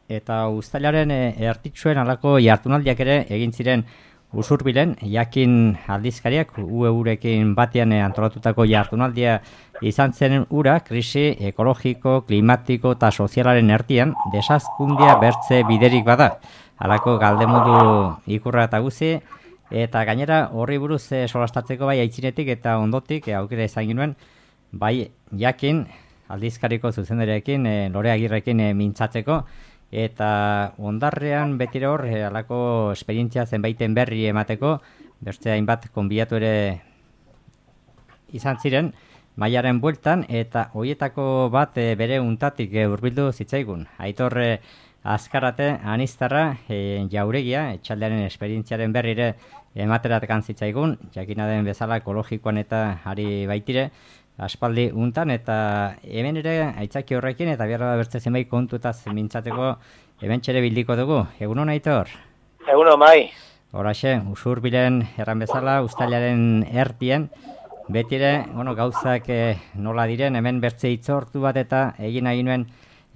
eta uztailaren ertitxuen halako jartunaldiak ere egin ziren Usurbilen, jakin aldizkariak UEurekin batean antolatutako jartunaldia izan zen ura, krisi ekologiko, klimatiko eta sozialaren erdian desazkundia bertze biderik bada. Halako galdemodu ikurra eta guzi, eta gainera horri buruz solastatzeko bai aitzinetik eta ondotik aukera izan ginuen, bai jakin aldizkariko zuzendarekin, Lore Agirrekin mintzatzeko, eta ondarrean betire hor halako esperientzia zenbaiten berri emateko, beste hainbat konbiatu ere izan ziren, Maiaren bueltan, eta hoietako bat bere untatik hurbildu zitzaigun. Aitor Azkarate Aniztarra Jauregia, etxaldearen esperientziaren berrire emateratekan zitzaigun, jakina den bezala ekologikoan eta ari baitire, aspaldi untan, eta hemen ere aitzaki horrekin eta behar da bertze zenbait kontutaz mintzateko hemen txere bildiko dugu. Egunon, Aitor? Egunon, bai. Horaxe, Usurbilen erran bezala, uztailaren ertien, betire, gauzak nola diren, hemen bertze itzortu bat eta egin nahi nuen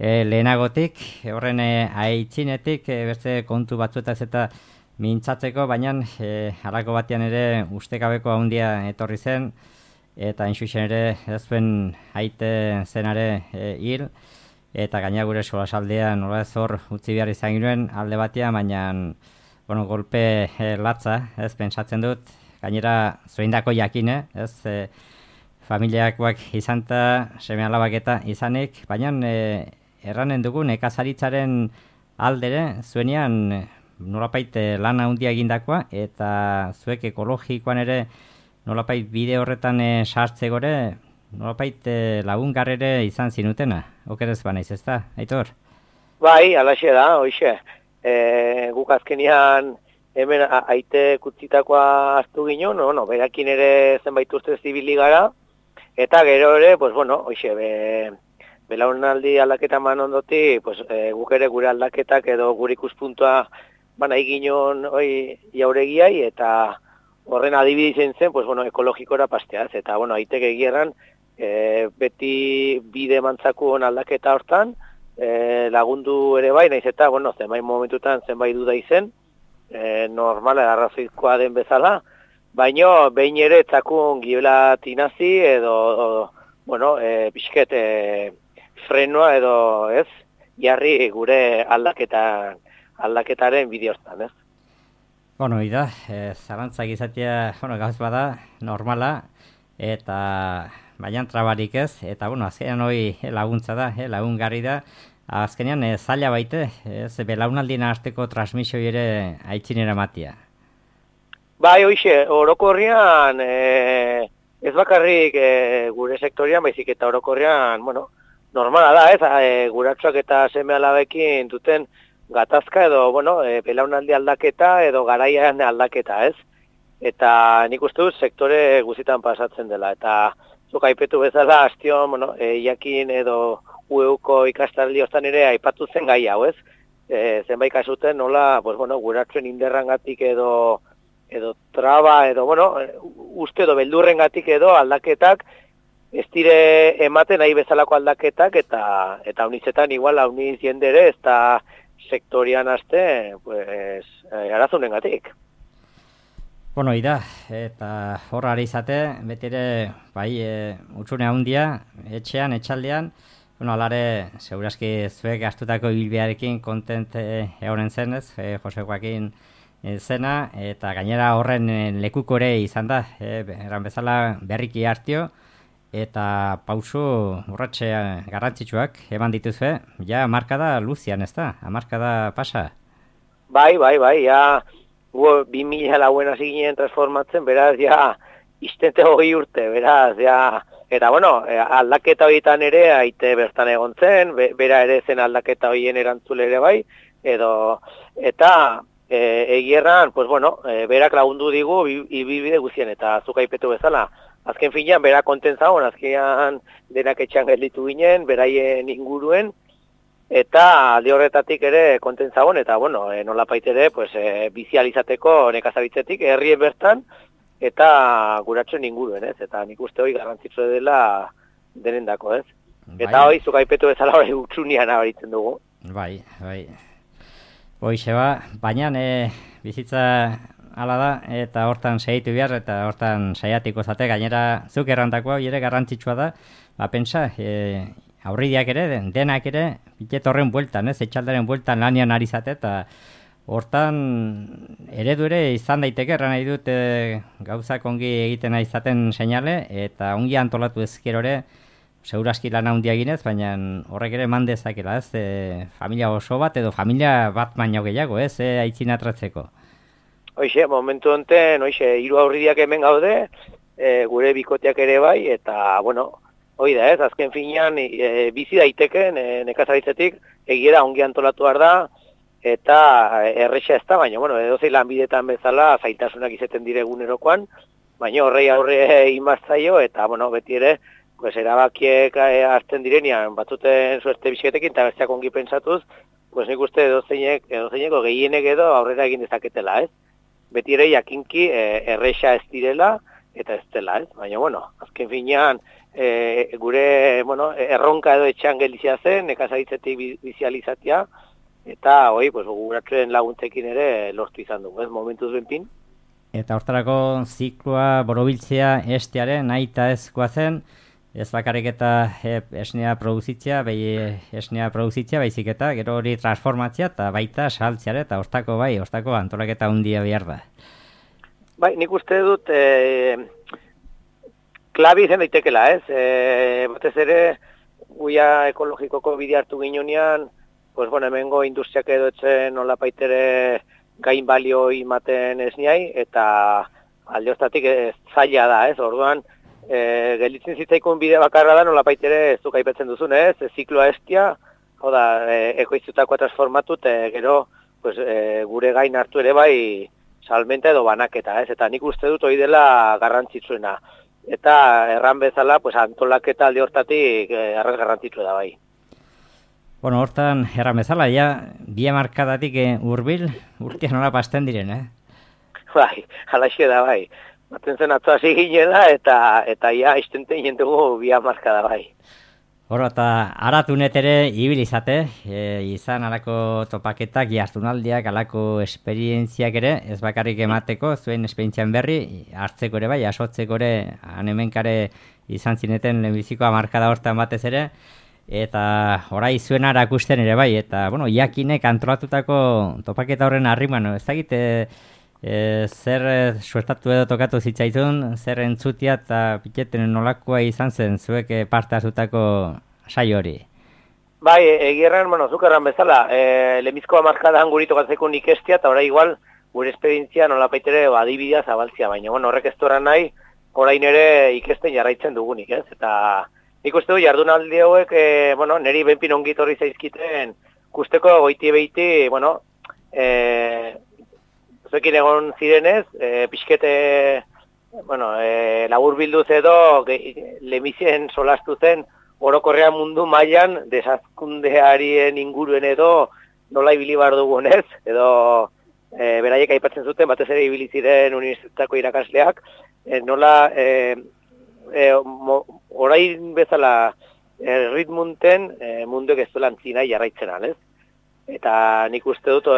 lehenagotik, horren aitzinetik, beste kontu batzuetaz eta mintzatzeko, baina halako batean ere ustekabeko handia etorri zen, eta inxuxen ere ez zuen aite zenare hil, eta gaina gure solasaldea nola ez hor utzi behar izan ginen alde batean, baina golpe latza, ez pentsatzen dut, gainera zoindako jakine, ez familiakoak izan eta seme alabak eta izanik, baina erranen dugu nekazaritzaren aldere, zuenean nolapait lana handia egindakoa, eta zuek ekologikoan ere nolapait bide horretan sartze gore, nolapait lagungarrere izan zinutena, okerez banaiz, ez da, Aitor? Bai, alaxe da, hoxe. Guk azkenian hemen aite kutzitakoa hartu ginen, berakin ere zenbait urte zibili gara, eta gero ere, hoxe, belaunaldi aldaketa man ondoti, guk ere gure aldaketak edo gure ikuspuntua banai ginen Jauregiai, eta horren adibide izan zen, ekologikora pasteaz, eta aitek egierran, beti bide mantzakuen aldaketa hortan, lagundu ere bai, naiz eta, zenbait momentutan zenbait duda izen, normala, arrazoizkoa den bezala, baino, behin ere etzakun gibela tinazi, edo, pixket, frenoa edo, ez, jarri gure aldaketaren bide hortan, ez. Ida, zalantzak izatea, gauz bada, normala, eta baina trabarik ez, eta azkenean hori laguntza da, lagungarri da, azkenean zaila baite, ez belaunaldien arteko transmisioi ere aitzinera matia. Bai, hoxe, orokorrean, ez bakarrik gure sektorian, baizik eta orokorrean, normala da, ez, guratxoak eta seme alabekin duten gatazka edo, belaunaldi aldaketa edo garaian aldaketa, ez? Eta nik uste dut sektore guzitan pasatzen dela. Eta zuk aipetu bezala, astion, jakin edo UEuko ikastaldi hostan ere aipatu zen gai hau, ez? Zenbait kasuten nola, guratzen inderrangatik edo traba, edo, uste edo beldurrengatik edo aldaketak, ez dire ematen nahi bezalako aldaketak, eta unizetan igual uniz jendere, ez da sektorian haste, arazunengatik. Ida, eta horra izate, betire, bai, utxune handia, etxean, etxaldean, alare, segurazki zuek gastutako ibilbidearekin kontent egonen zenez, Jose Joakin zena, eta gainera horren lekuko ere izan da, eran bezala berriki hartio, eta pausu urratxe garrantzitsuak eman dituzue, ja markada luzian, ez da? Markada pasa? Bai, ja, 2000 lauen hasi ginen transformatzen, beraz, ja, iztente 20 urte, beraz, ja, eta, aldaketa horietan ere, aite bertan egon zen, bera ere zen aldaketa horien erantzule ere bai, eta egierran, berak lagundu digu, ibibide guzien, eta zuk aipetu bezala, azken finean, bera konten zagon, azkenean denak etxean gelditu ginen, beraien inguruen, eta alde horretatik ere konten zagon, eta, nolapait ere, bizializateko nekazaritzetik, herrien bertan, eta guratzen inguruen, ez? Eta nik uste hori garrantzitsua dela denendako, ez? Eta hori, zuk aipetu bezala hori utxunian abaritzen dugu. Bai. Hoixe baina bizitza hala da, eta hortan saiatu behar, eta hortan saiatiko zate, gainera zuk errantakoa ere garrantzitsua da, pentsa, aurridiak ere, denak ere, bilet horren bueltan, etxaldaren bueltan lanian ari zate, eta hortan eredu ere izan daiteke, erran nahi dut gauzak ongi egiten izaten seinale, eta ongi antolatu ezkerore, seguraski lan handia eginez, baina horrek ere eman dezakela, familia oso bat edo familia bat baino gehiago, aitzin atratzeko. Hoixe, momentu honten, hiru aurridiak hemen gaude, gure bikoteak ere bai, eta, bueno, hoi da azken finean bizi daiteken nekazaritzetik, egia da ongi antolatu behar da, eta erresa ez da, baina, bueno, edozein lanbidetan bezala zailtasunak izaten dire egunerokoan, baina horrei aurre inbaztaio, eta, bueno, beti ere, pues erabakiek hartzen direnean, batzuten suerte biziketekin, eta besteak ongi pentsatuz, pues nik uste edozeineko gehienek edo aurrera egin dezaketela, Beti ere jakinki erresa ez direla, eta ez dela, Baina, bueno, azken finean, gure, bueno, erronka edo etxean gelizia zen, nekazaritzetik bizializatia, eta, pues, guratzen laguntzekin ere lortu izan dugu, momentuz benpin. Eta hortarako zikloa borobiltzea estearen aita ezkoa zen, ez bakarrik eta esnea produzitzea, baizik eta gero hori transformatzea eta baita saltzeare eta hortako antolaketa handia behar da. Bai, nik uste dut klabi izan daitekela, batez ere guia ekologikoko bide hartu ginean, pues bueno, hemengo industriak edo etzen nolapaitere gain balio imaten esniai, eta alde hostatik zaila da, orduan, gelditzen zitzaikun bide bakarra da nolapaitere zuk aipatzen duzun, zikloa estia, hau da, ekoiztutakoa transformatu, gero pues, gure gain hartu ere bai salmenta edo banaketa, eta nik uste dut hori dela garrantzitsuena. Eta erran bezala, pues, antolaketa alde hortatik arraz garrantzitsua da bai. Bueno, hortan erran bezala, bi hamarkadatik hurbil urtean nola pasten diren, Bai, halaxe da bai. Batzen zen atzo hasi ginela, eta istenten jentugu bi hamarkada bai. Horo, eta aratunet ere ibilizate, izan alako topaketak, jartunaldiak, alako esperientziak ere, ez bakarrik emateko, zuen esperientzian berri, hartzeko ere bai, asotzeko ere, hemenkare izan zineten lehenbiziko hamarkada hortan batez ere, eta orai zuen arakusten ere bai, eta, bueno, jakinek antolatutako topaketa horren harriman, ez dakit, zer suertatu edo tokatu zitzaizun, zer entzutia eta piketen nolakoa izan zen zuek parte hartutako saio hori? Bai, egierran, bueno, zuk erran bezala, lehenbizko hamarkadan guri tokatzeko nik estia, eta orai igual, gure esperientzia nolapaitere adibidea zabaltzia, baina, bueno, horrek ez dueran nahi, orain ere ikesten jarraitzen dugunik, eta nik uste du jardunaldi hauek, bueno, niri benpin ongit horri zaizkiten, kusteko goiti beiti, bueno, zuekin egon zirenez, pixkete, bueno, labur bilduz edo, lemizien solastu zen, orokorrean mundu mailan desazkundearien inguruen edo, nola ibili bar dugunez, edo beraiek aipatzen zuten, batez ere ibili ziren unibertsitateko irakasleak, nola, orain bezala ritmunten munduek ez duela antzina jarraitzen alez. Eta nik uste dut,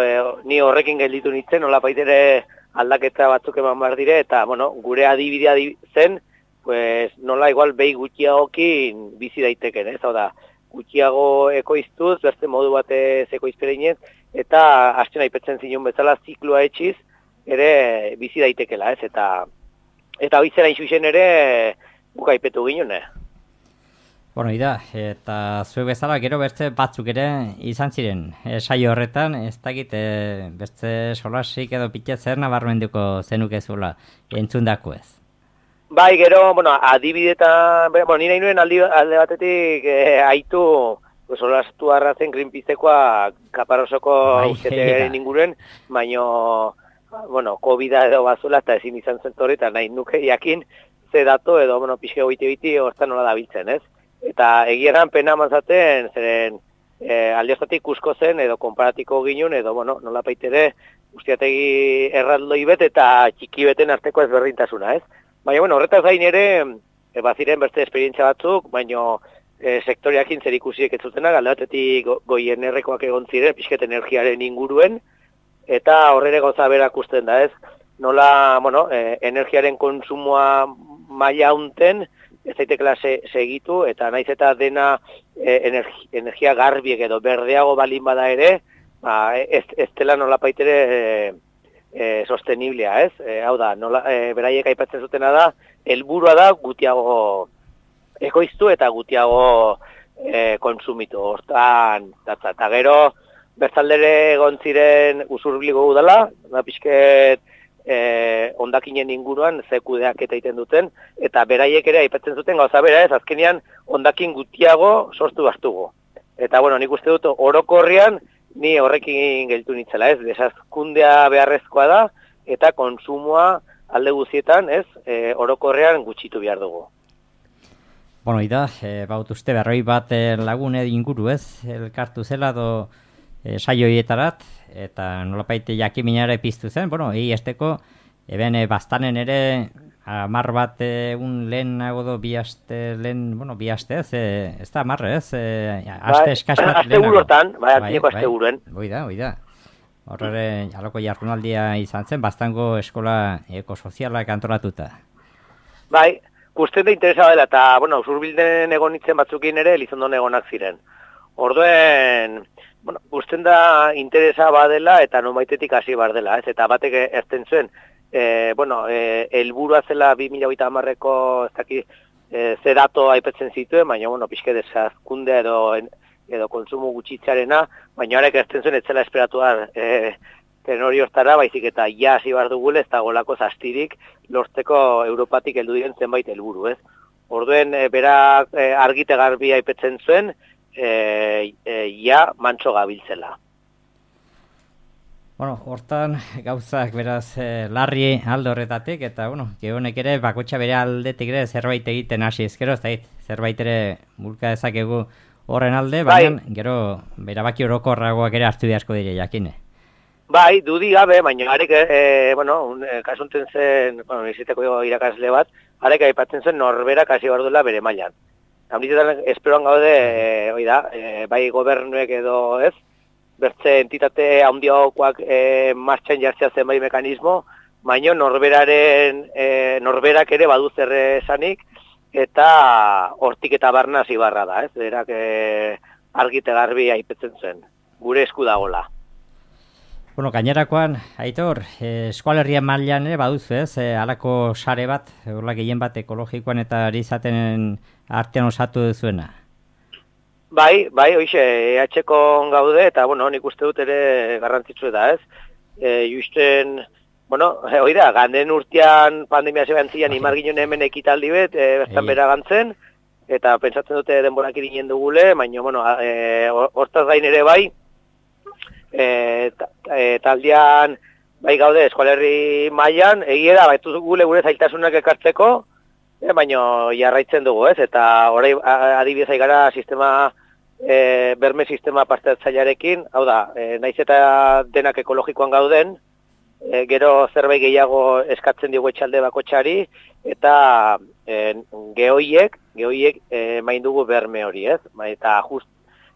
ni horrekin gelditu nintzen, nola baitere aldaketa batzuk eman behar dire, eta, bueno, gure adibidea zen, pues, nola igual behi gutxiagokin bizi daiteken, hau da, gutxiago ekoiztuz, beste modu batez ekoizperenez, eta hasten aipetzen zinun bezala zikloa etxiz, ere bizi daitekela, eta hoizera inxuixen ere buka aipetu ginen, Bueno, eta zuek bezala gero beste batzuk ere izan ziren saio horretan, ez dakit beste solasik edo pitez zer nabarmenduko zenukezula entzundako ez. Bai, gero, bueno, adibidetan, bueno, nire inuen alde batetik aitu solastu arrazen Greenpeacekoa Kaparosoko ustetegaren inguruen, baino, bueno, COVID-a edo bazula eta ezin izan zentorri, eta nahi nuke jakin ze dato edo, bueno, pixke goiti hortan nola dabiltzen, ez? Eta egieran pena mazaten, zeren aldiostatik kusko zen, edo konparatiko ginen, edo, bueno, nola paitere, ustiategi erraldoi bet eta txiki beten arteko ezberdintasuna, ez? Baina, bueno, horretaz gain ere, baziren beste esperientzia batzuk, baina sektoreakin zer ikusiek ez zutenak, alde batetik goien errekoak egon ziren, pixket energiaren inguruen, eta horrere gauza berak usten da, ez? Nola, bueno, energiaren konsumoa maila unten, ez daitekela segitu, eta naiz eta dena energia garbiek edo berdeago balin bada ere, ez dela nola paitere sosteniblea, ez? Hau da, beraiek aipatzen zutena da, helburua da gutiago ekoiztu eta gutiago konsumitu. Hortan, eta gero, bertzaldere egon ziren usurbiliko udala, pixket ondakinen inguruan zekudeak eta egiten duten, eta beraiek ere aipatzen zuten gauza bera, ez? Azkenean ondakin gutiago sortu bastugu. Eta, bueno, nik uste dut orokorrean, ni horrekin geltu nitzela, ez? Desazkundea beharrezkoa da, eta konsumoa alde guztietan, ez? Orokorrean gutxitu behar dugu. Bueno, ida, baut uste, berroi bat lagune inguru, ez? Elkartu zela do saioietarat, eta nolapaite jakiminara piztu zen, bueno, esteko, eben bastanen ere, 10 bat un lehenago do bi aste ez, ez da 10, ez? Aste eskas bat aste buruetan, aste buruen. Oida. Horre, aloko jardunaldia izan zen, bastango eskola ekosozialak antolatuta. Bai, guztien da interesa dela, eta, bueno, Usurbilden egon nintzen batzukin ere, Elizondon egonak ziren. Orduen, bueno, guztien da interesa badela, eta nomaitetik hasi bar dela, ez? Eta batek erten zuen, helburua zela 2030ko ez daki ze dato aipetzen zituen, baina, bueno, pixke desazkundea edo konsumo gutxitzarena, baina horrek erten zuen etzela esperatuar tenori hortara, baizik eta ja hasi bar dugule, ez dagolako zastirik lortzeko Europatik heldu diren zenbait helburu, ez? Orduen, berak argite garbi aipetzen zuen, ja mantso gabiltzela. Bueno, hortan gauzak beraz larri alde horretatik, eta bueno, gehonek ere bakotxa bere aldetik ere zerbait egiten hasi ezkero, ez zerbait ere bulka dezakegu horren alde, baina gero berabaki orokorragoak ere hartu asko dire jakine. Bai, dudi gabe, baina arek, kasunten zen, iziteko irakasle bat, arek aipatzen zen norberak hasi behar duela bere mailan. Hamditetan esperoan gaude, bai gobernuek edo ez, bertze entitate handiokoak martxan jartzea zen bai mekanismo, baina norberak ere badu zer esanik, eta hortik eta barna hasi barra da, ez? Berak argite garbi aipetzen zen, gure esku dagola. Bueno, gainerakoan, Aitor, eskualerrian mailan ere baduzu, ez? Halako sare bat, horla gehien bat ekologikoan eta ari izaten artean osatu duzuena. Bai, hoixe, EH-ko gaude, eta, bueno, nik uste dut ere garrantzitsu da, ez? Justen, bueno, oida, ganden urtean pandemia zeban zian, imar ginen hemen ekitaldi bet, bertan bera gantzen, eta pentsatzen dute denborak irinen dugule, baina, bueno, hortaz gain ere bai, taldean bai gaude eskualerri mailan, egia da, baitu gure zailtasunak ekartzeko, baina jarraitzen dugu, ez? Eta orain adibidez gara sistema, berme sistema parte hartzailearekin, hau da, naiz eta denak ekologikoan gauden, gero zerbait gehiago eskatzen diogu etxalde bakotxari, eta gehoiek main dugu berme hori, ez? Eta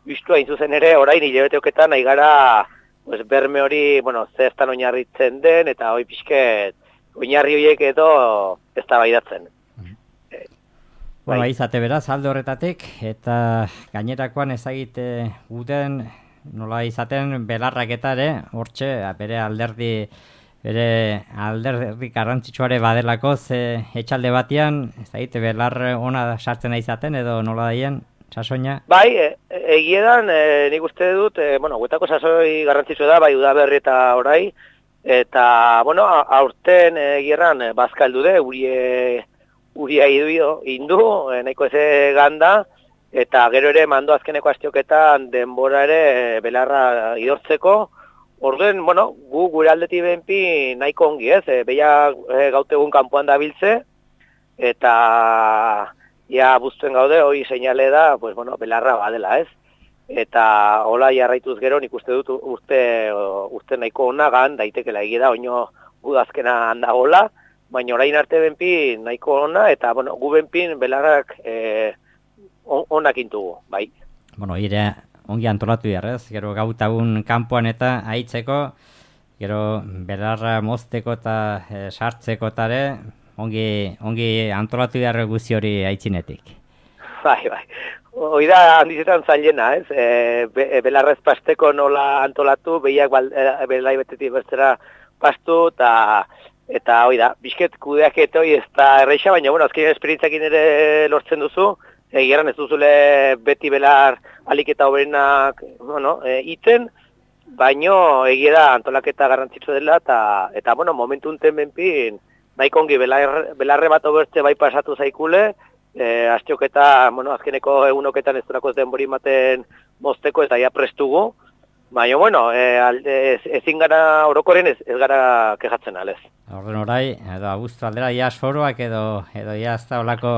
justu hain zuzen ere, orain hilabeteoketan nahi gara berme hori, bueno, zehaztan oinarritzen den, eta hoi pixket oinarri horiek edo ez da baidatzen. Bueno, izate beraz, alde horretatik, eta gainerakoan ezagite guten nola izaten belarrak eta ere, hortxe, bere alderdi garrantzitsuare badelako, ze etxalde batean, ezagite belar ona sartzen da izaten, edo nola daien, sasoina? Bai, egiedan, nik uste dut, guetako sasoi garrantzitsua da, bai udaberri eta orai, eta, aurten egieran bazkaldu de, uria indu, nahiko eze ganda, eta gero ere mando azkeneko astioketan denbora ere belarra idortzeko. Orduen, gu gure aldetik benpi nahiko ongi, ez? Beia gautegun kanpoan da biltze, eta ja buztuen gaude, hori seinale da, belarra badela, ez? Eta hola jarraituz gero, nik uste dut urte nahiko onagan, daitekela egia da, oino gudazkena handagola, baina orain arte benpi nahiko ona, eta gu benpin belarrak onak intugu, bai. Bueno, ire ongi antolatu jarrez, gero gautagun kanpoan eta aitzeko, gero belarra mozteko eta sartzeko tare, ongi antolatu jarre guzi hori aitzinetik. Bai. Hoi da handizetan zailena, ez? Belarrez pasteko nola antolatu, behiak belai betetik bertzera pastu, eta hoi da, bizket kudeak hoi ez da erreixa, baina, bueno, azkenean esperientzakin ere lortzen duzu, egeran ez duzule beti belar aliketa hoberenak, bueno, iten, baino egia da antolaketa garrantzitsu dela, eta bueno, momentu unten benpin, nahiko ongi belarre bat obertze bai pasatu zaikule, astioketa, bueno, azkeneko egunoketan ez durako denbori maten mozteko eta ja prestugu, baina, bueno, ezin gara orokoren ez gara kejatzen alez. Horren orai, edo abuztu aldera, ia soroak edo ia ez da olako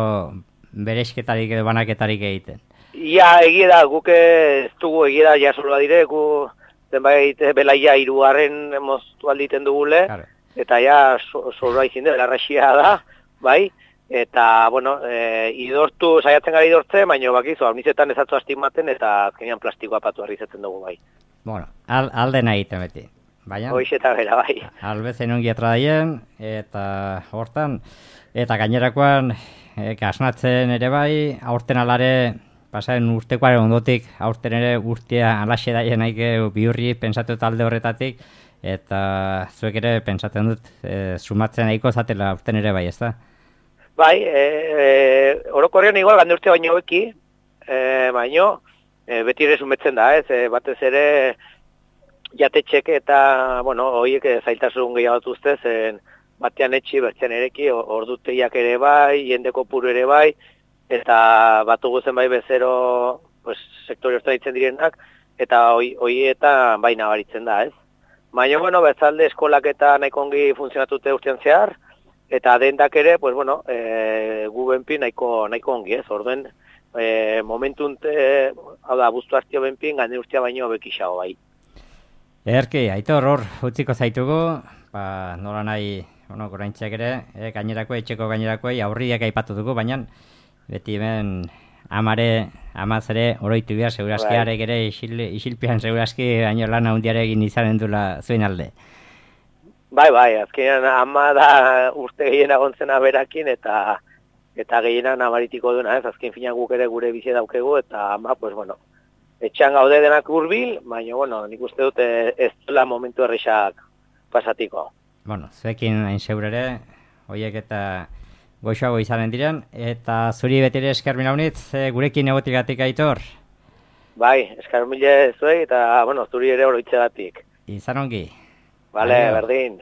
beresketarik edo banaketarik egiten. Ia, egia da, guk ez dugu egia da, ja soroa dire, gu zenbait belaia hirugarren moztu alditen dugule, claro. Eta ja soroa izin de, belarraxia da, bai, eta, bueno, saiatzen gara idortzen, baina bakizu, alnizetan ezatzu astigmaten, eta azkenean plastikoa patu arrizetzen dugu, bai. Bueno, aldena egiten beti. Hoixeta bera, bai. Albezen ongi daien, eta hortan, eta gainerakoan, kasnatzen ere bai, aurten alare, pasaren urtekoaren ondotik, aurten ere urtea alaxe daien haike bihurri pensatu talde horretatik, eta zuek ere pensatzen dut, sumatzen nahiko zatela aurten ere bai, ez da? Bai, orokorrean igual gande urte baino eki, baino, beti ere sumetzen da, ez, batez ere jatetxek eta, bueno, horiek zailtasun gehiago dutuzte, zen batean etxi, bertzean ereki, orduteiak ere bai, jendeko puru ere bai, eta batugu zen bai bezero, pues, sektore horretan ditzen direnak, eta hoi eta bai nabaritzen da, ez. Baina, bueno, bezalde eskolak eta nahiko ongi funtzionatute urtean zehar, eta dendak ere, pues, bueno, gu benpin nahiko ongi, ez, orduen, momentunte, hau da, abuztu hartio benpin, gane urtea baino bekixago bai. Erki, Aitor, hor, utziko zaitugu, nola nahi, bueno, goraintziak ere, gainerako, etxeko gainerakoei aurriak aipatu dugu, baina beti hemen amaz ere oroitu behar, segurazki arek ere isilpian segurazki baino lan handiare egin izanen dula zuen alde. Bai, azkenean ama da urte gehiena gontzena berakin eta gehienan amaritiko duena, ez, azken fina guk ere gure bizi daukegu, eta ama, pues, bueno, etxan gaude denak hurbil, baina, bueno, nik uste dut ez dela momentu errexak pasatiko. Bueno, zuekin hain seurere, horiek eta goxoago izanen diren, eta zuri betire esker milaunitz, gurekin egotigatik Aitor? Bai, esker mile zuei, eta, bueno, zuri ere oroitzegatik. Izan ongi. Bale, berdin.